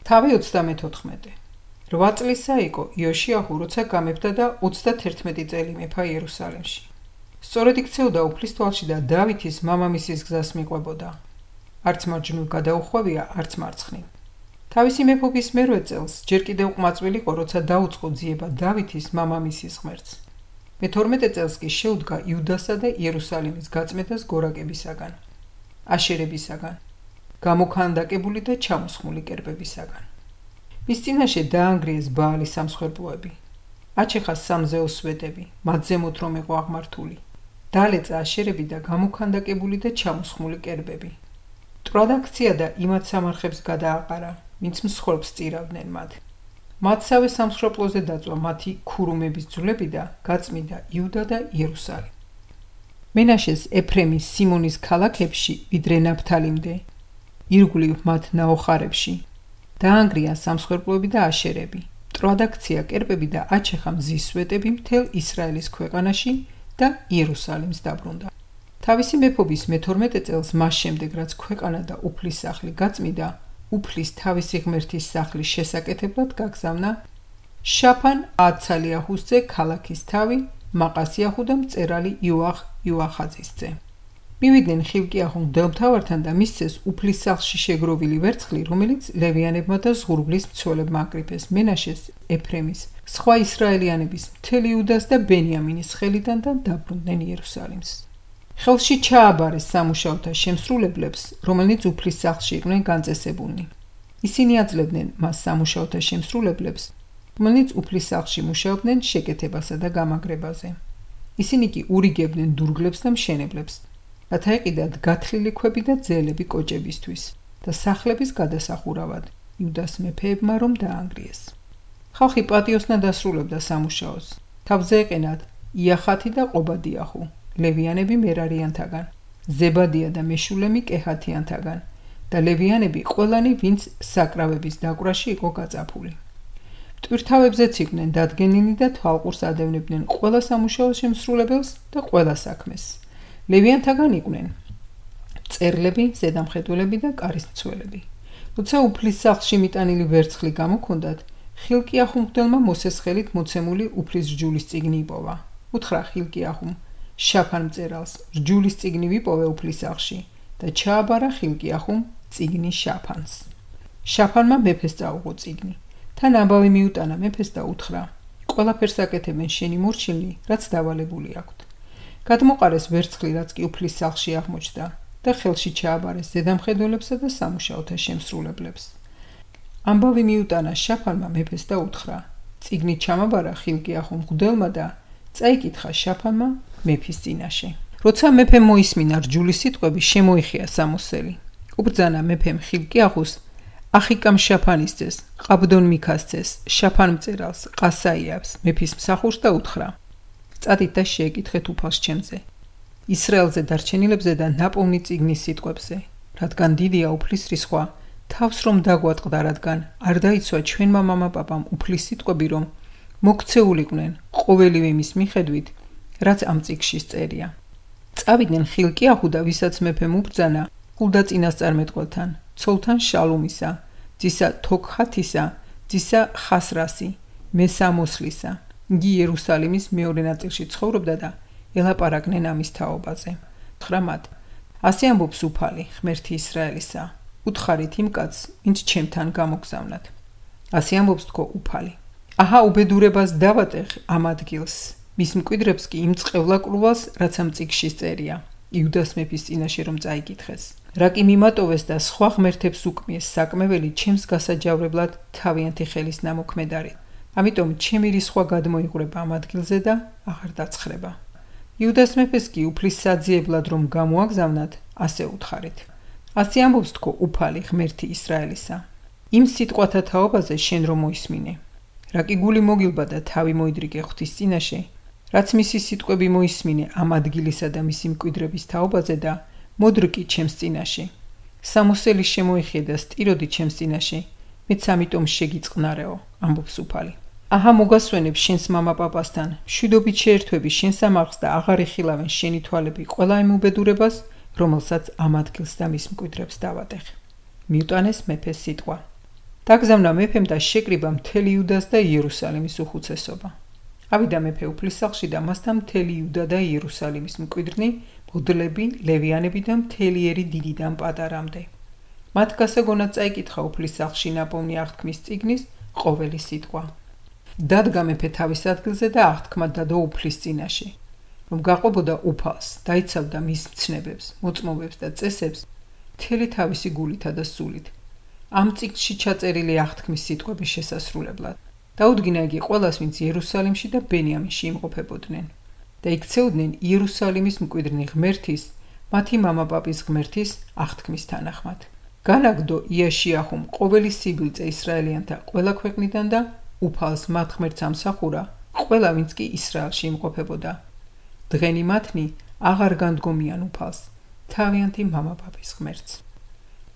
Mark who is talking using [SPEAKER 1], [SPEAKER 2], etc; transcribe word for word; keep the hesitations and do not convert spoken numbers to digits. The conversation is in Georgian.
[SPEAKER 1] თავი ოცდამეთოთხმეტე. რვა წლისა იყო იოშიაჰუ, როცა გამეფდა და ოცდათერთმეტი წელი მეფა იერუსალიმში. სწორედ იქცეოდა უფლის თვალში და დავითის მამამისის გზას მიყვებოდა. არც მარჯვნივ გადაუხვევია, არც მარცხნივ. თავისი მეფობის მერვე წელს ჯერ კიდევ ყმაწვილი იყო, როცა დაუწყო ძიება დავითის მამამისის ღმერთს. მეთორმეტე წელს კი შეუდგა იუდასა და იერუსალიმის გაწმედას გორაკებისაგან, აშერებისაგან, გამოქანდაკებული და ჩამოსხმული კერპებისაგან. მის წინაშე დაანგრიეს ბაალის სამსხვერპლოები, აჩეხა სამზეოს სვეტები, მათ ზემოთ რომ იყო აღმართული, დალეწა აშერები და გამოქანდაკებული და ჩამოსხმული კერპები. მტრად აქცია და იმათ სამარხებს გადააყარა, ვინც მსხვერპლს წირავდნენ მათ. მათსავე სამსხვერპლოზე დაწვა მათი ქურუმების ძვლები და გაწმიდა იუდა და იერუსალიმი. მენაშეს ეფრემის სიმონის ქალაქებში ვიდრე ნაფთალიმდე, ირგვლივ მათ ნაოხარებში. დაანგრია სამსხვერპლოები და აშერები, მტრად აქცია კერპები და აჩეხა მზის სვეტები მთელ ისრაელის ქვეყანაში და იერუსალიმს დაბრუნდა. თავისი მეფობის მეთორმეტე წელს მას შემდეგ, რაც ქვეყანა და უფლის სახლი გაწმიდა, უფლის თავისი ღმერთის სახლის შესაკეთებლად გაგზავნა შაფან აცალიაჰუს ძე ქალაქის თავი მაყასიაჰუ და მწერალი იოახ იოახაძის ძე. მივიდნენ ხილკიაჰუ მღვდელმთავართან და მისცეს უფლის სახლში შეგროვილი ვერცხლი, რომელიც ლევიანებმა და ზღურბლის მცველებმა აკრიფეს მენაშეს, ეფრემის, სხვა ისრაელიანების, მთელი იუდას და ბენიამინის ხელიდან და დაბრუნდნენ იერუსალიმს. ხელში ჩააბარეს სამუშაოთა შემსრულებლებს, რომელნიც უფლის სახლში იყვნენ განწესებულნი. ისინი აძლევდნენ მას სამუშაოთა შემსრულებლებს, რომელნიც უფლის სახლში მუშაობდნენ შეკეთებასა და გამაგრებაზე. ისინი კი ურიგებდნენ დურგლებს და მშენებლებს, რათა ეყიდათ გათლილი ქვები და ძელები კოჭებისთვის და სახლების გადასახურავად იუდას მეფეებმა რომ დაანგრიეს. ხალხი პატიოსნად ასრულებდა სამუშაოს. თავზე ეყენათ იახათი და ყობადიაჰუ, ლევიანები მერარიანთაგან, ზებადია და მეშულემი კეჰათიანთაგან და ლევიანები ყველანი, ვინც საკრავების დაკვრაში იყო გაწაფული. მტვირთავებზეც იყვნენ დადგენილი და თვალყურს ადევნებდნენ ყველა სამუშაოს შემსრულებელს და ყველა საქმეს. ლევიანთაგან იყვნენ მწერლები, ზედამხედველები და კარისმცველები. როცა უფლის სახლში მიტანილი ვერცხლი გამოქონდათ, ხილკიაჰუ მღვდელმა მოსეს ხელით მოცემული უფლის რჯულის წიგნი იპოვა. უთხრა ხილკიაჰუმ შაფან მწერალს, რჯულის წიგნი ვიპოვე უფლის სახლში და ჩააბარა ხილკიაჰუმ წიგნი შაფანს. შაფანმა მეფეს წაუღო წიგნი. თან ამბავი მიუტანა მეფეს და უთხრა: ყველაფერს აკეთებენ შენი მორჩილნი, რაც დავალებული აქვთ. გადმოყარეს ვერცხლი, რაც კი უფლის სახლში აღმოჩნდა და ხელში ჩააბარეს ზედამხედველებსა და სამუშაოთა შემსრულებლებს. ამბავი მიუტანა შაფანმა მეფეს და უთხრა: წიგნი ჩამაბარა ხილკიაჰუ მღვდელმა და წაიკითხა შაფანმა მეფის წინაშე. როცა მეფემ მოისმინა რჯულის სიტყვები, შემოიხია სამოსელი. უბრძანა მეფემ ხილკიაჰუს, ახიკამ შაფანის ძეს, ყაბდონ მიქას ძეს, შაფან მწერალს, ყასაიას, მეფის მსახურს და უთხრა: წადით და შეეკითხეთ უფალს ჩემზე, ისრაელზე დარჩენილებზე და ნაპოვნი წიგნის სიტყვებზე, რადგან დიდია უფლის რისხვა, თავს რომ დაგვატყდა, რადგან არ დაიცვა ჩვენმა მამაპაპამ უფლის სიტყვები, რომ მოქცეულიყვნენ ყოველივე მის მიხედვით, რაც ამ წიგნში წერია. წავიდნენ ხილკიაჰუ და ვისაც მეფემ უბრძანა ხულდა წინასწარმეტყველთან, ცოლთან შალუმისა, ძისა თოქჰათისა, ძისა ხასრასი, მესამოსლისა. იგი იერუსალიმის მეორე ნაწილში ცხოვრობდა და ელაპარაკნენ ამის თაობაზე. უთხრა მათ: ასე ამბობს უფალი, ღმერთი ისრაელისა, უთხარით იმ კაცს, ვინც ჩემთან გამოგზავნათ. ასე ამბობს თქო უფალი: აჰა, უბედურებას დავატეხ ამ ადგილს, მის მკვიდრებს კი იმ წყევლაკრულვას, რაც ამ წიგნში წერია, იუდას მეფის წინაშე რომ წაიკითხეს. რა კი მიმატოვეს და სხვა ღმერთებს უკმიეს საკმეველი ჩემს გასაჯავრებლად თავიანთი ხელის ნამოქმედარით. ამიტომ ჩემი რისხვა გადმოიღვრება ამ ადგილზე და აღარ დაცხრება. იუდას მეფეს კი უფლის საძიებლად რომ გამოაგზავნათ, ასე უთხარით: ასე ამბობს თქო უფალი, ღმერთი ისრაელისა, იმ სიტყვათა თაობაზე შენ რომ მოისმინე. რა კი გული მოგილბა და თავი მოიდრიგე ღვთის წინაშე, რაც მისი სიტყვები მოისმინე ამ ადგილისა და მისი მკვიდრების თაობაზე და მოდრკი ჩემს წინაშე. სამოსელი შემოიხიე და სტიროდი ჩემს წინაშე, მეც ამიტომ შეგიწყნარეო, ამბობს უფალი. აჰა, მოგასვენებ შენს მამაპაპასთან, მშვიდობით შეერთვები შენ სამარხს და აღარ ეხილავენ შენი თვალები ყველა იმ უბედურებას, რომელსაც ამ ადგილს და მის მკვიდრებს დავატეხ. მიუტანეს მეფეს სიტყვა. დაგზავნა მეფემ და შეკრიბა მთელი იუდას და იერუსალიმის უხუცესობა. ავიდა მეფე უფლისსახლში და მასთან მთელი იუდა და იერუსალიმის მკვიდრნი, მღვდლები, ლევიანები და მთელი ერი დიდიდან პატარამდე. მათ გასაგონად წაიკითხა უფლისსახლში ნაპოვნი აღთქმის წიგნის ყოველი სიტყვა. დადგა მეფე თავის ადგილზე და აღთქმა დადო უფლის წინაშე, რომ გაყვებოდა უფალს, დაიცავდა მის მცნებებს, მოწმობებს და წესებს მთელი თავისი გულითა და სულით. ამ წიგნში ჩაწერილი აღთქმის სიტყვების შესასრულებლად. დაუდგინა იგი ყველას, ვინც იერუსალიმში და ბენიამინში იმყოფებოდნენ და იქცეოდნენ იერუსალიმის მკვიდრნი ღმერთის, მათი მამაპაპის ღმერთის აღთქმის თანახმად. განაგდო იაშიაჰუმ ყოველი სიბილწე ისრაელიანთა ყველა ქვეყნიდან და უფალს მათ ღმერთს ამსახურა ყველა, ვინც კი ისრაელში იმყოფებოდა. დღენი მათნი აღარ განდგომიან უფალს, თავიანთი მამაპაპის ღმერთს.